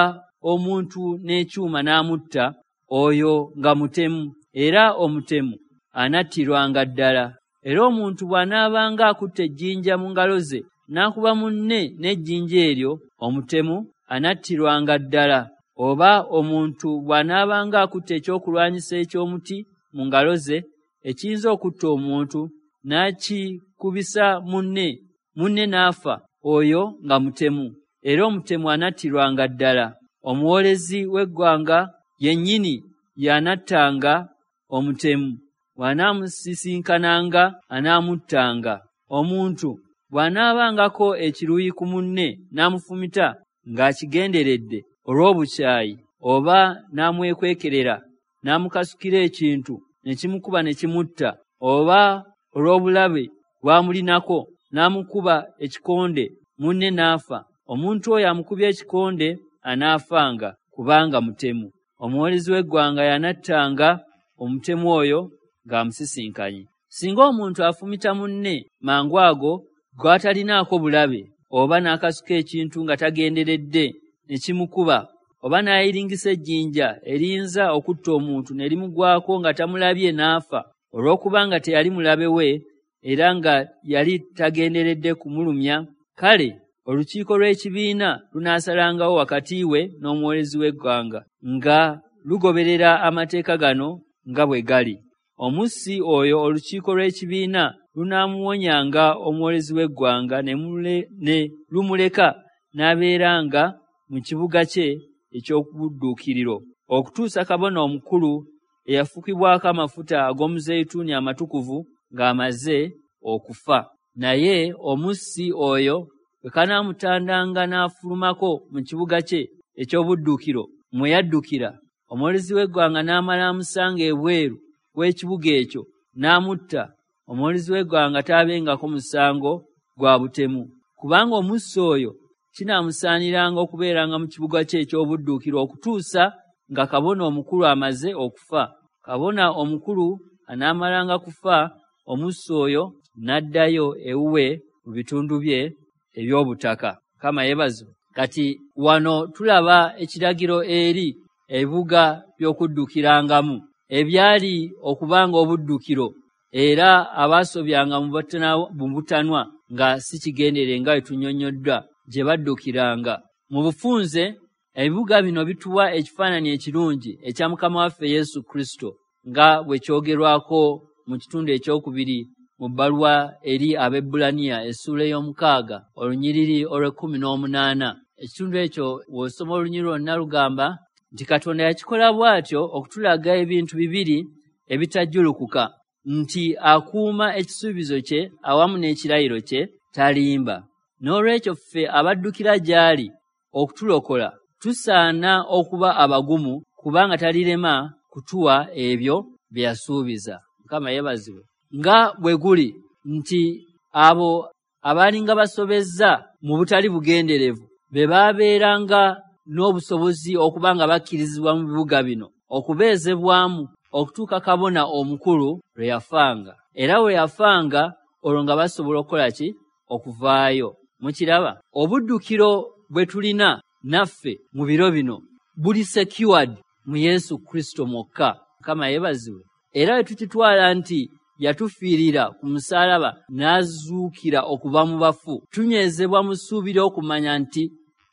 omuntu n'ekyuma n'amutta, oyo nga mutemu, era omutemu anattirwanga ddala. Era omuntu bw'anaabanga akutte ejjinja mu ngalo ze n'akuba munne n'ejjinja eryo, omutemu anattirwanga ddala. Oba omuntu bw'anaabanga akutte ekyokulwanyisa eky'omuti mu ngalo ze ekiyinza okutta omuntu n'akikubisa munne, munne n'afa, oyo nga mutemu, era omutemu anattirwanga ddala. Omuwoolezi w'eggwanga yennyini y'anattanga omutemu, bw'anaamusisinkananga anaamuttanga. Omuntu bw'anaabangako ekiruyi ku munne n'amufumita ng'akigenderedde olw'obukyayi, oba n'amwekwekerera n'amukasukira ekintu ne kimukuba ne kimutta, oba olw'obulabe bw'amulinako n'amukuba ekikonde munne n'afa, omuntu oyo amukubye ekikonde anaafanga, kubanga mutemu. Omuwoolezi w'eggwanga y'anattanga omutemu oyo ng'amusisinkanye. Singa omuntu afumita munne mangu ago gw'atalinaako bulabe, oba n'akasuka ekintu nga tagenderedde ne kimukuba, oba n'ayiringisa ejjinja eriyinza okutta omuntu ne limugwako nga tamulabye n'afa, olw'okubanga teyali mulabe we era nga yali tagenderedde kumulumya, kale olukiiko lw'ekibiina lunaasalangawo wakati we n'omuwoolezi w'eggwanga nga lugoberera amateeka gano nga bwe gali. Omussi oyo olukiiko lw'ekibiina lunaamuwonyanga omuwoolezi w'eggwanga ne lumuleka n'abeeranga mu kibuga kye eky'obudduukiriro okutuusa kabona omukulu eyafukibwako amafuta ag'omuzeyituuni amatukuvu ng'amaze okufa. Naye omussi oyo bwe kanaamutandanga n'afulumako mu kibuga kye eky'obuddukiro mwe yaddukira, omuwoolezi w'eggwanga n'amala amusanga ebweru w'ekibuga ekyo n'amutta, omuwoolezi w'eggwanga taabengako musango gwa butemu, kubanga omussi oyo kinaamusaaniranga okubeeranga mu kibuga kye eky'obuddukiro okutuusa nga kabona omukulu amaze okufa. Kabona omukulu anaamalanga kufa, omussi oyo n'addayo ewuwe mu bitundu bye eby'obutaka. Mukama yeebazibwe. Kati wano tulaba ekiragiro eri ebibuga by'okuddukirangamu ebyali okubanga obuddukiro, era abaasobyanga mu butanwa nga si kigendere nga bwe tunnyonnyoddwa gye baddukiranga. Mu bufunze ebibuga bino bituwa ekifaananyi ekirungi ekya Mukama waffe Yesu Kristo nga bwe kyogerwako mu kitundu ekyokubiri mu bbaluwa eri Abaebbulaniya essuula ey'omukaaga olunyiriri olw'ekkumi n'omunaana. Ekitundu ekyo w'osoma olunyiriri lwonna lugamba nti Katonda yakikola bw'atyo okutulaga ebintu bibiri ebitajjulukuka, nti akuuma ekisuubizo kye awamu n'ekirayiro kye, talimba. N'olwekyo ffe abaddukira gy'ali okutulokola tusaana okuba abagumu, kubanga talirema kutuwa ebyo bye yasuubiza. Mukama yeebazibwe. Nga bwe guli nti abo abaalinga basobezza mu butali bugenderevu be baabeeranga n'obusobozi okuba nga bakkirizibwa mu bibuga bino okubeezebwamu okutuuka kabona omukulu lwe yafanga. Era bwe yafanga olwo nga basobola okukola ki? Okuvaayo. Mukiraba? Obuddukiro bwe tulina naffe mu biro bino buli secured mu Yesu Kristo mwokka. Mukama yeebazibwe. Era bwe tukitwala nti yatufiirira ku musaalaba n'azuukira okuva mu bafu, tunywezebwa mu ssuubi ly'okumanya nti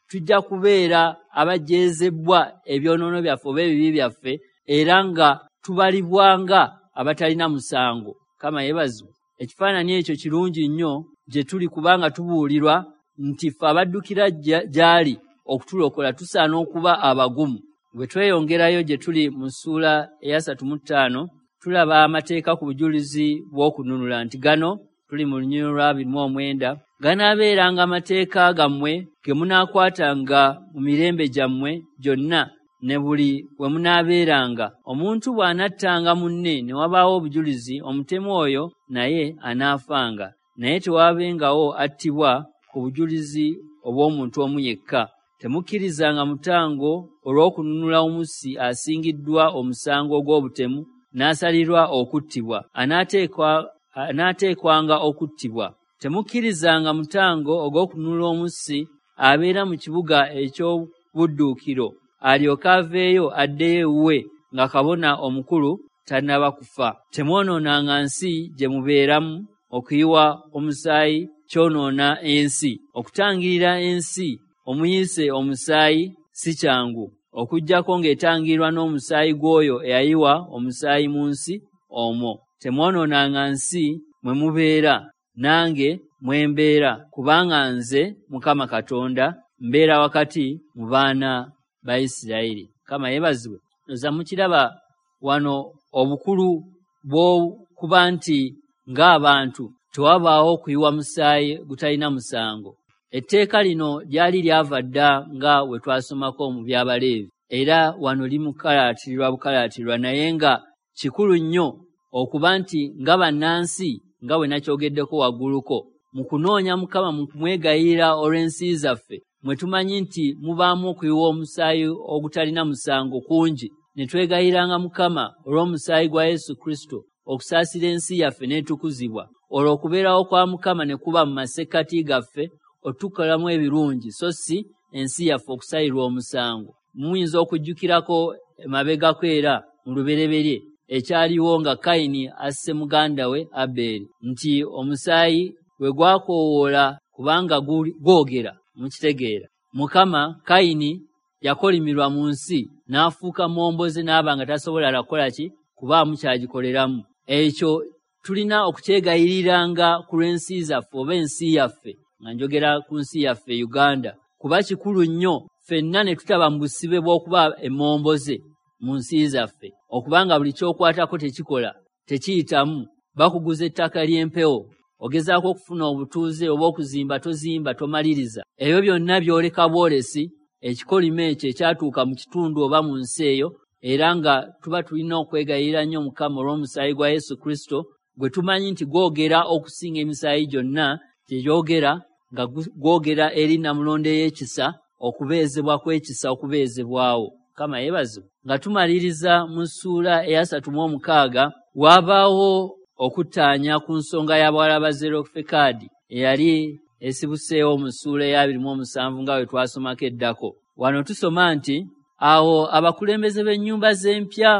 tujja kubeera abajeezebwa ebyonoono byaffe oba ebibi byaffe, era nga tubalibwanga abatalina musango. Mukama yeebazibwe. Ekifaananyi ekyo kirungi nnyo gye tuli, kubanga tubuulirwa nti ffe abaddukira gy'ali okutulokola, tusaana okuba abagumu. Bwe tweyongerayo gye tuli mu ssuula eyasatu mu ttaano, tulaba amateeka ku bujulizi bw'okununula nti gano tuli mu lunyiriri lwa abiri mu omwenda, ganaabeeranga amateeka gammwe ge munaakwatanga mu mirembe gyammwe gyonna ne buli we munaabeeranga. Omuntu bw'anattanga munne ne wabaawo obujulizi, omutemu oyo naye anaafanga, naye tewaabengawo attibwa ku bujulizi obw'omuntu omu yekka. Temukkirizanga mutango olw'okununula omussi asingiddwa omusango ogw'obutemu n'asalirwa okuttibwa, anaateekwa anaateekwanga okuttibwa. Temukkirizanga mutango ogw'okununula omussi abeera mu kibuga eky'obudduukiro, alyoke aveeyo addeyo ewuwe nga kabona omukulu tannaba kufa. Temwonoonanga nsi gye mubeeramu, okuyiwa omusaayi kyonoona ensi. Okutangirira ensi omuyise omusaayi si kyangu, okuggyako ng'etangirirwa n'omusaayi gw'oyo eyayiwa omusaayi mu nsi omwo. Temwonoonanga nsi mwe mubeera, nange mwe mbeera, kubanga nze Mukama Katonda mbeera wakati mu baana ba Isirayiri. Mukama yeebazibwe. Oza mukiraba wano obukulu bw'okuba nti ng'abantu tewabaawo kuyiwa musaayi gutalina musango. Etteeka lino lyali lyava dda nga we twasomako mu by'Abaleevi, era wano limukalaatirirwa bukalaatirirwa, naye nga kikulu nnyo okuba nti nga bannansi, nga bwe nakyogeddeko wagguluko, mu kunoonya Mukama, mu kumwegayirira olw'ensi zaffe, mwe tumanyi nti mubaamu okuyiwa omusaayi ogutalina musango kungi, ne twegayiranga Mukama olw'omusaayi gwa Yesu Kristo okusaasira ensi yaffe n'etukuzibwa, olwo okubeerawo kwa Mukama ne kuba mu masekkati gaffe otukolamu ebirungi, so si ensi yaffe okusalirwa omusango. Muyinza okujjukirako emabegako era mu lubereberye ekyaliwo nga Kayini asse muganda we Abeeri, nti omusaayi bwe gwakoowoola kubanga gwogera, mukitegeera. Mukama Kayini yakolimirwa mu nsi n'afuuka momboze n'aba nga tasobola kukola ki kubaamu kyagikoleramu. Ekyo tulina okukyegayiriranga ku lw'ensi zaffe oba ensi yaffe, nga njogera ku nsi yaffe Uganda, kuba kikulu nnyo ffenna ne tutaba mu busibe bw'okuba emmomboze mu nsi zaffe, okubanga buli ky'okwatako tekikola, tekiyitamu. Bakuguza ettaka ly'empewo, ogezaako okufuna obutuuze oba okuzimba, tozimba, tomaliriza. Ebyo byonna byoleka bwolesi ekikolimo ekyo ekyatuuka mu kitundu oba mu nsi eyo, era nga tuba tulina okwegayirira nnyo Mukama olw'omusaayi gwa Yesu Kristo gwe tumanyi nti gwogera okusinga emisaayi gyonna gye gyogera, nga gwogera eri Namulondo ey'ekisa, okubeezebwa kw'ekisa okubeezebwawo. Mukama yeebazibwe. Nga tumaliriza mu ssuula eyasatu mu omukaaga, waabaawo okuttaanya ku nsonga y'abawala ba Zerofekadi eyali esibuseewo mu ssuula ey'abiri mu omusanvu nga bwe twasomako eddako. Wano tusoma nti awo abakulembeze b'ennyumba z'empya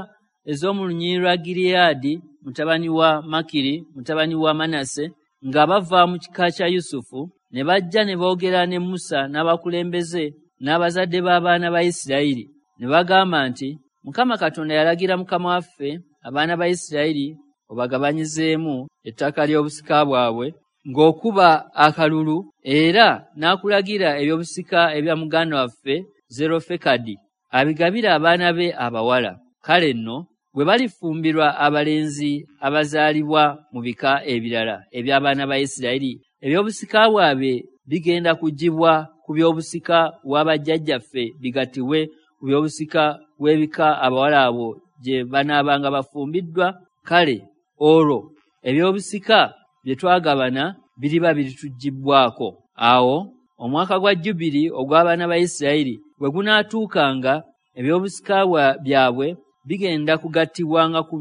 ez'omu lunyiriri lwa Gireyaadi, mutabani wa Makiri, mutabani wa Manase, nga bava mu kika kya Yusufu, ne bajja ne boogera ne Musa n'abakulembeze n'abazadde b'abaana ba Isirayiri, ne bagamba nti Mukama Katonda yalagira mukama waffe abaana ba Isirayiri obagabanyizeemu ettaka ly'obusika bwabwe ng'okuba akalulu, era n'akulagira eby'obusika ebya muganda waffe Zerofekadi abigabire abaana be abawala. Kale nno bwe balifumbirwa abalenzi abazaalibwa mu bika ebirala eby'abaana ba Isirayiri, eby'obusika bwabwe bigenda kuggyibwa ku by'obusika bwa bajjajjaffe bigattibwe ku by'obusika bw'ebika abawala abo gye banaabanga bafumbiddwa. Kale olwo eby'obusika bye twagabana biriba birituggyibwako. Awo omwaka gwa Jjubiri ogw'abaana ba Isirayiri bwe gunaatuukanga, eby'obusika byabwe bigenda kugattibwanga ku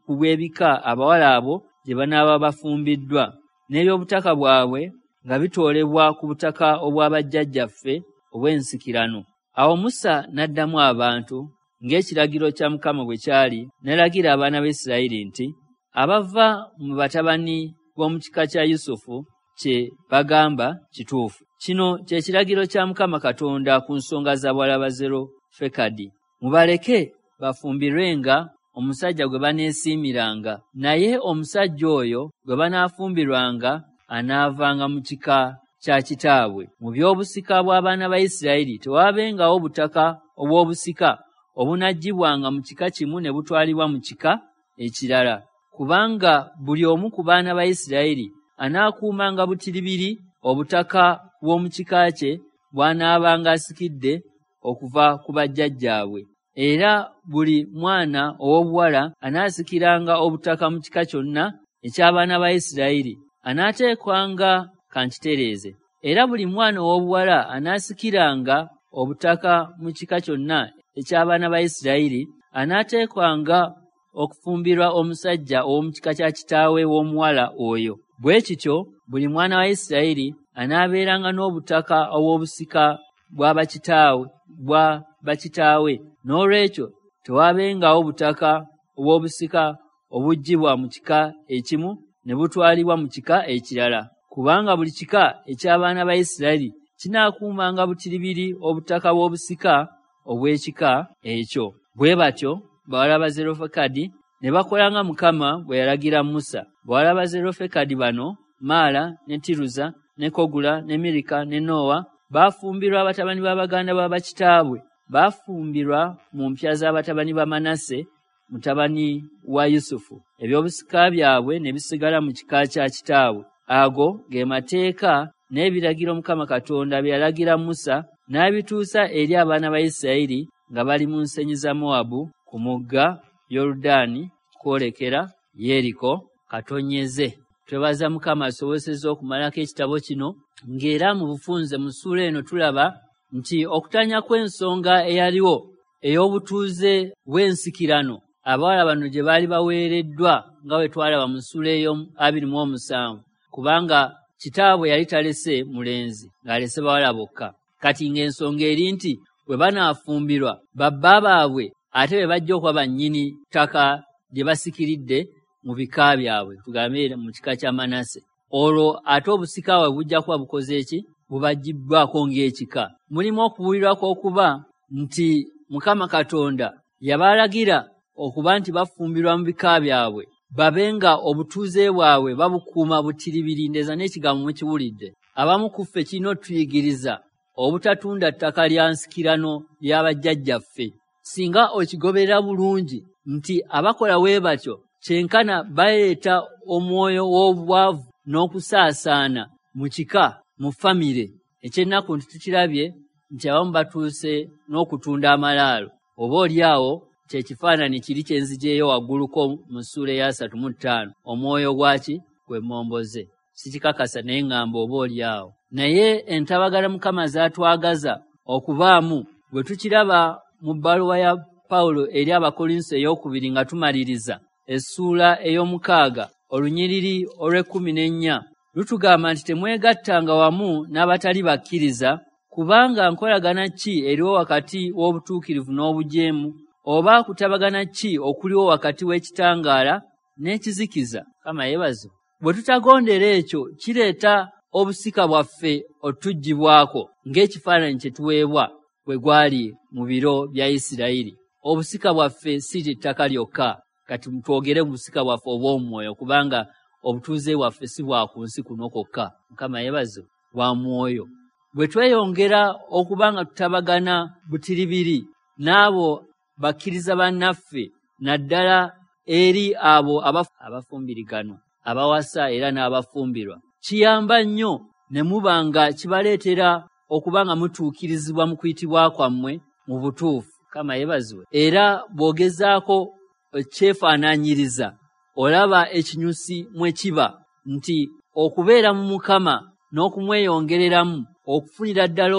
bw'ebika abawala abo gye banaaba bafumbiddwa, n'eby'obutaka bwabwe nga bitoolebwa ku butaka obwa bajjajjaffe obw'ensikirano. Awo Musa n'addamu abantu ng'ekiragiro kya Mukama bwe kyali, n'alagira abaana ba Isirayiri nti abava mu batabani b'omu kika kya Yusufu kye bagamba kituufu. Kino kye kiragiro kya Mukama Katonda ku nsonga z'abawala ba Zerofekadi. Mubaleke bafumbirwenga omusajja gwe baneesiimiranga, naye omusajja oyo gwe banaafumbirwanga anaavanga mu kika kya kitaabwe. Mu by'obusika bw'abaana ba Isirayiri tewaabengawo butaka obw'obusika obunaggyibwanga mu kika kimu ne butwalibwa mu kika ekirala, kubanga buli omu ku baana ba Isirayiri anaakuumanga butiribiri obutaka bw'omu kika kye bw'anaabanga asikidde okuva ku bajjajjaabwe. Era buli mwana ow'obuwala anaasikiranga obutaka mu kika kyonna eky'abaana ba Isirayiri anaateekwanga kankitereeze. Era buli mwana ow'obuwala anaasikiranga obutaka mu kika kyonna eky'abaana ba Isirayiri anaateekwanga okufumbirwa omusajja ow'omu kika kya kitaawe w'omuwala oyo. Bwe kityo buli mwana wa Isirayiri anaabeeranga n'obutaka obw'obusika bwa bakitaawe bwa bakitaawe. N'olwekyo tewaabengawo butaka obw'obusika obuggyibwa mu kika ekimu ne butwalibwa mu kika ekirala, kubanga buli kika eky'abaana ba Isirayiri kinaakuumanga butiribiri obutaka bw'obusika obw'ekika ekyo. Bwe batyo bawala ba Zerofekadi ne bakola nga Mukama bwe yalagira Musa. Bawala ba Zerofekadi bano, Maala ne Tiruza ne Kogula ne Mirika ne Nowa, baafumbirwa batabani ba baganda ba bakitaabwe. Baafumbirwa mu mpya z'abatabani ba Manase mutabani wa Yusufu. Ebyobusika byabwe ne bisigala mu kika kya kitaabwe. Ago ge mateeka n'ebiragiro Mukama Katonda bye yalagira Musa n'abituusa eri abaana ba Isirayiri nga bali mu nsenyi za Mowabu ku mugga Yoludaani kwolekera Yeriko. Katonyeze. Twebaza Mukama asobosezza okumalako ekitabo kino, ng'era mu bufunze mu ssuula eno tulaba nti okutanya kw'ensonga eyaliwo ey'obutuuze bw'ensikirano abawala bano gye baali baweereddwa nga bwe twalaba mu ssuula ey'abiri mu omusanvu, kubanga kitaabwe yali talese mulenzi ng'alese bawala bokka. Kati ng'ensonga eri nti bwe banaafumbirwa babba baabwe ate be bajja okuba bannyini ttaka lye basikiridde mu bika byabwe, tugambe mu kika kya Manase. Olwo ate obusika bwabwe bujja kuba bukoze ki? Bubaggibbwako ng'ekika. Mulimu okubuulirwa kw'okuba nti Mukama Katonda yabalagira okuba nti bafumbirwa mu bika byabwe, babe nga obutuuze bwabwe babukuuma butiribiri. Ndeza n'ekigambo mukiwulidde. Abamu ku ffe kirina otuyigiriza obutatunda ttaka lya nsikirano lya bajjajjaffe. Singa okigoberera bulungi nti abakola we batyo kyenkana baleeta omwoyo w'obwavu n'okusaasaana mu kika, mu famire. Ekyennaku nti tukirabye nti abamu batuuse n'okutunda amalaalo. Oba oli awo kyekifaananyi kiri kye nzigyeyo wagguluko mu ssuula ey'asatu mu ttaano, omwoyo gwaki gw'emmomboze. Sikikakasa naye ŋŋamba oba oli awo. Naye entabagana Mukama z'atwagaza okubaamu bwe tukiraba mu bbaluwa ya Pawulo eri Abakolinso ey'okubiri nga tumaliriza essuula ey'omukaaga olunyiriri olw'ekkumi n'ennya lutugamba nti temwegattanga wamu n'abatali bakkiriza, kubanga nkolagana ki eriwo wakati w'obutuukirivu n'obujeemu, oba kutabagana ki okuliwo wakati w'ekitangaala n'ekizikiza? Mukama yeebazibwe. Bwe tutagondera ekyo kireeta obusika bwaffe otuggyibwako ng'ekifaananyi kye tuweebwa bwe gwali mu biro bya Isirayiri. Obusika bwaffe si ttaka lyokka. Kati twogere busika bwaffe obw'omwoyo, kubanga obutuuze bwaffe si bwa ku nsi kuno kwokka. Mukama yeebazibwe, bwa mwoyo. Bwe tweyongera okuba nga tutabagana butiribiri n'abo bakkiriza bannaffe, naddala eri abo abafumbiriganwa, abawasa era n'abafumbirwa, kiyamba nnyo ne muba nga kibaleetera okuba nga mutuukirizibwa mu kuyitibwa kwammwe mu butuufu. Mukama yeebazibwe. Era bw'ogezaako okyefaanaanyiriza olaba ekinyusi mwe kiba nti okubeera mu Mukama n'okumweyongereramu okufunira ddala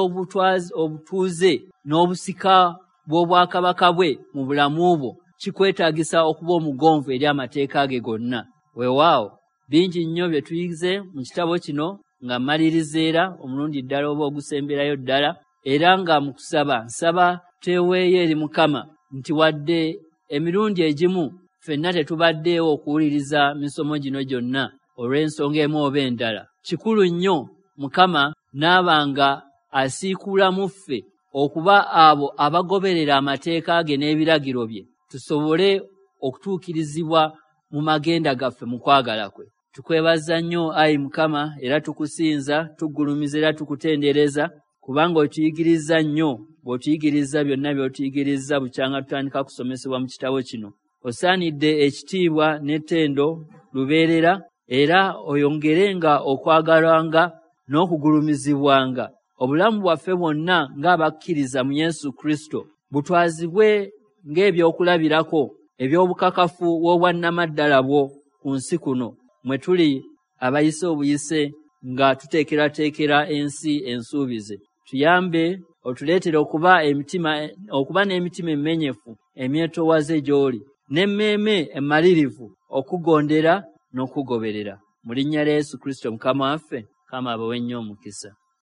obutuuze n'obusika bw'obwakabaka bwe mu bulamu bwo kikwetaagisa okuba omugonvu eri amateeka ge gonna. Weewaawo bingi nnyo bye tuyize mu kitabo kino nga mmaliriza era omulundi ddala oba ogusemberayo ddala, era nga mu kusaba nsaba tweweeyo eri Mukama nti wadde emirundi egimu ffenna tetubaddeewo okuwuliriza misomo gino gyonna olw'ensonga emu oba endala, kikulu nnyo Mukama n'aba nga asiikuula mu ffe okuba abo abagoberera amateeka ge n'ebiragiro bye, tusobole okutuukirizibwa mu magenda gaffe mu kwagala kwe. Tukwebaza nnyo ayi Mukama, era tukusinza, tugulumiza era tukutendereza, kubanga otuyigiriza nnyo, bw'otuyigiriza byonna by'otuyigiriza bukyanga tutandika kusomesebwa mu kitabo kino. Osaanidde ekitiibwa n'ettendo lubeerera, era oyongerenga okwagalwanga n'okugulumizibwanga. Obulamu bwaffe bwonna ng'abakkiriza mu Yesu Kristo butwazibwe ng'ebyokulabirako eby'obukakafu bw'obwannamaddala bwo ku nsi kuno, mwe tuli abayise obuyise nga tuteekerateekera ensi ensuubize. Tuyambe otuleetere okuba emitima okuba n'emitima emenyefu emyetoowaze gy'oli, n'emmeeme emmalirivu okugondera n'okugoberera. Mu linnya lya Yesu Kristo Mukama waffe, Mukama abawe nnyo omukisa.